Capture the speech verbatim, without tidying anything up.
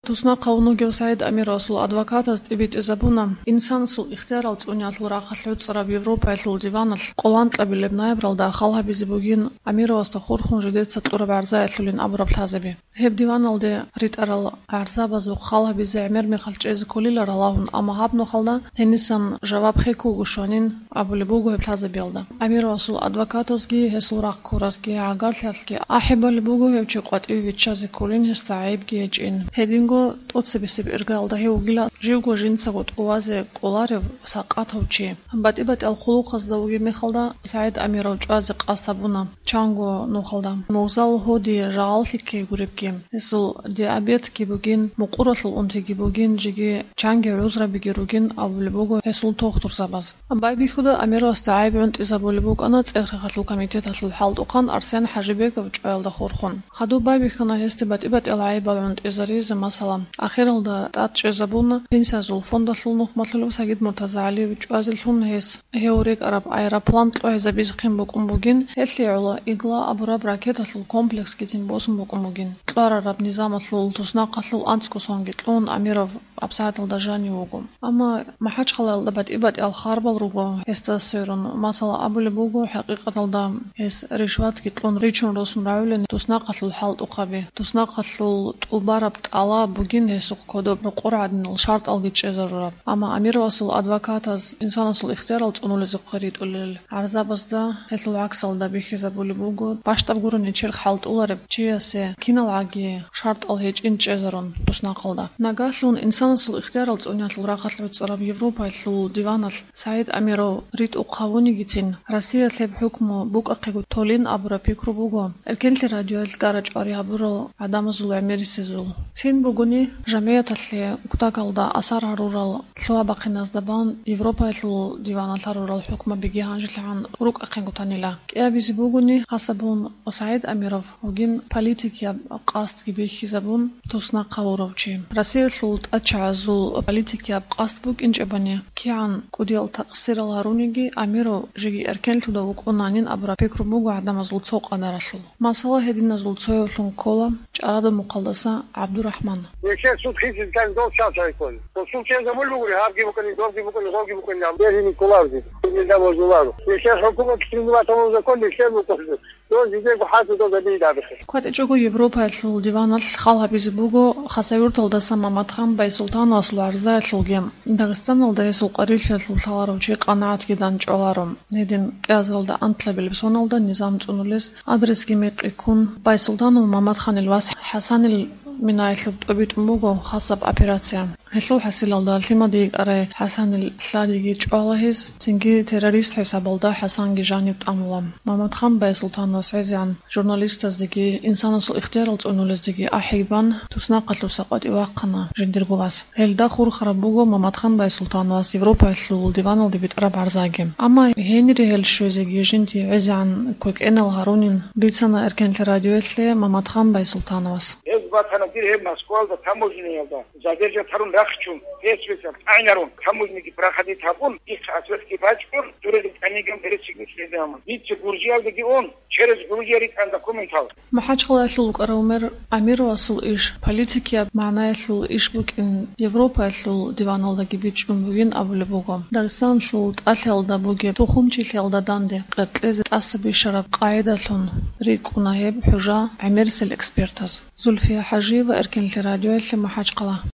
Туснахъ гьавун вугев СагӀид Амировасул адвокатаз тӀибитӀизабуна, инсанасул ихтиярал цӀуниялъул рахъалъ гӀуцӀараб Европаялъул диваналъ къоланкьабилеб ноябралда хал гьабизе бугин Амировасда хурхун жидеца кьураб гӀарзаялъулин абураб лъазаби. Гьеб диваналде ритӀарал гӀарзабазухъ хал гьабизе гӀемер мехалъ чӀезе кколила ралагьун, амма гьаб нухалда гьенисан жаваб хӀеккуго щванин абулеб буго гьеб лъазабиялда. Амировасул адвокатазги гьесул рахъ ккуразги гӀагарлъиялъги ахӀи балеб буго гьев чи къватӀиве виччазе кколин, гьесда гӀайибги гьечӀин. Гьединго тӀоцебесеб иргаялда гьев вугила живго жинцаго тӀувазе кӀоларев сакъатав чи. БатӀи-батӀиял хъулухъазда вугеб мехалда СагӀид Амиров чӀвазе къасд гьабуна чанго нухалда. Мугъзал гьоди жагъаллъи ккей гуребги, гьесул диабетги бугин, мукъуралъул унтиги бугин, жеги чанги гӀузрабиги ругин абулеб буго гьесул тухтурзабаз. Байбихьуда Амировасда гӀайиб гӀунтӀизабулеб букӀана ЦӀехрехалъул комитеталъул хӀалтӀухъан Арсен ХӀажибеков чӀваялда хурхун. Гьадуб байбихьана гьесде батӀи-батӀиял гӀайибал гӀунтӀизаризе, масала, ахиралда тӀад чӀезабуна Пенсиязул фондалъул нухмалъулев Сагид МуртазагӀалиев чӀвазелъун гьес гьев рекӀараб аэроплан кьвагьизабизехъин букӀун бугин, гьелъие гӀоло «Игла» абураб ракеталъул комплексгицин босун букӀун бугин. Кьварараб низамалъул туснахъалъул анцӀго сонги кьун Амиров абсагӀаталда жанив вуго. Амма МахӀачхъалаялда батӀи-батӀиял харбал руго гьесда сверун. Масала, абулеб буго, хӀакъикъаталда гьес ришватги кьун ричун росун рагӀулин туснахъалъул хӀалтӀухъаби, туснахъалъул тӀубараб тӀалаб бугин гьесухъ кодоб рокъор гӀадинал шартӀалги чӀезарураб. Амма Амировасул адвокатаз инсанасул ихтиярал цӀунулезухъе ритӀулел гӀарзабазда гьелъул гӀаксалда бихьизабулеб буго, пащтаб гурони черх хӀалтӀулареб чиясе киналгӀаги шартӀал гьечӀин чӀезарун туснахъалда. Нагагьлъун инсанасул ихтиярал цӀуниялъул рахъалъ гӀуцӀараб Европаялъул диваналъ СагӀид Амиров ритӀухъ гьавунигицин, Россиялъ гьеб хӀукму букӀахъего толин абураб пикру буго эркенлъи радиоялъ гара-чӀвари гьабурал гӀадамазул гӀемерисезул. Цин бугони, жамигӀаталъе кутакалда асар гьарурал лъугьа-бахъиназда бан Европаялъул диваналъ гьарурал хӀукмабиги гьанжелъагӀан рукӀахъенгутанила. КӀиабизе бугони, хасабун СагӀид Амиров вугин политикияб къасдги бихьизабун туснахъ гьавурав чи. Россиялъул тӀадчагӀазул политикияб къасд букӀинчӀебани, кигӀан кӀудиял такъсирал гьаруниги, Амиров жеги эркенлъуда вукӀунанин абураб пикру буго гӀадамазул цо къадаралъул. Масала, гьединазул цоявлъун ккола ЧӀарадамухъалдаса ГӀабдурахӀман. Нилъер суд хисизкан дов часайккун. Досул чӀезабулеб бугури, гьабги букӀани, добги букӀани, гъоги букӀани, гьаб бергьине кколарги. Нилда божуларо. Нилъер хӀукумат чилизабатабун закон нилъер букӀунчӀо. Дов жидерго хӀалтӀудал гьабизе абихъе. КватӀичӀого Европаялъул диваналъ хал гьабизе буго Хасавюрталдаса Маматхан Байсултановасул гӀарзаялъулги. Дагъистаналда гьесул къварилъиялъул лъаларав чи къанагӀатги данчӀваларо. Гьедин кӀиазаралда анлъабилеб соналда низам цӀунулез адресги мекъи ккун, Байсултанов Маматханил вас ХӀасанил минаялъуб тӀобитӀун буго хасаб операция. Гьелъул хӀасилалда лъимаде йикӀарай ХӀасанил лъадиги чӀвала гьез, цинги террорист хӀисабалда ХӀасанги жанив тӀамула. Маматхан Байсултановас гӀезегӀан журналистаздеги инсанасул ихтиярал цӀунулездеги ахӀи бан, туснахъалъуса къватӀив вахъана жиндирго вас. Гьелда хурхараб буго Маматхан Байсултановас Европаялъул диваналде битӀараб гӀарзаги. Амма гьенире гьел щвезеги жинди гӀезегӀан квекӀенал гьарунин, бицана эркенлъи радиоялъе Маматхан Байсултановас. Гьез батана дир гьеб Москвалда таможняялда. Задержат гьарун рахчун, гьес весал тӀагӀинарун, таможняги проходить гьабун, их ответги бачӀун, дуреги тӀаниган бересигу чӀезамун. Дица Гуржиялдаги ун, через Гуржия ритӀан документал. МахӀачхъалаялъул вукӀарав мэр Амировасул иш политикияб магӀнаялъул иш букӀин, Европаялъул диваналдаги бичӀчӀун бугин абулеб буго. Дагъистаналъул тӀалъиялда бугеб тухумчилъиялда данде къеркьезе тӀаса бищараб къагӀидалъун рикӀкӀуна гьеб хӀужа гӀемерисел экспертаз. Зульфия ХӀажиева, Эркенлъи радиоялъе, МахӀачхъала.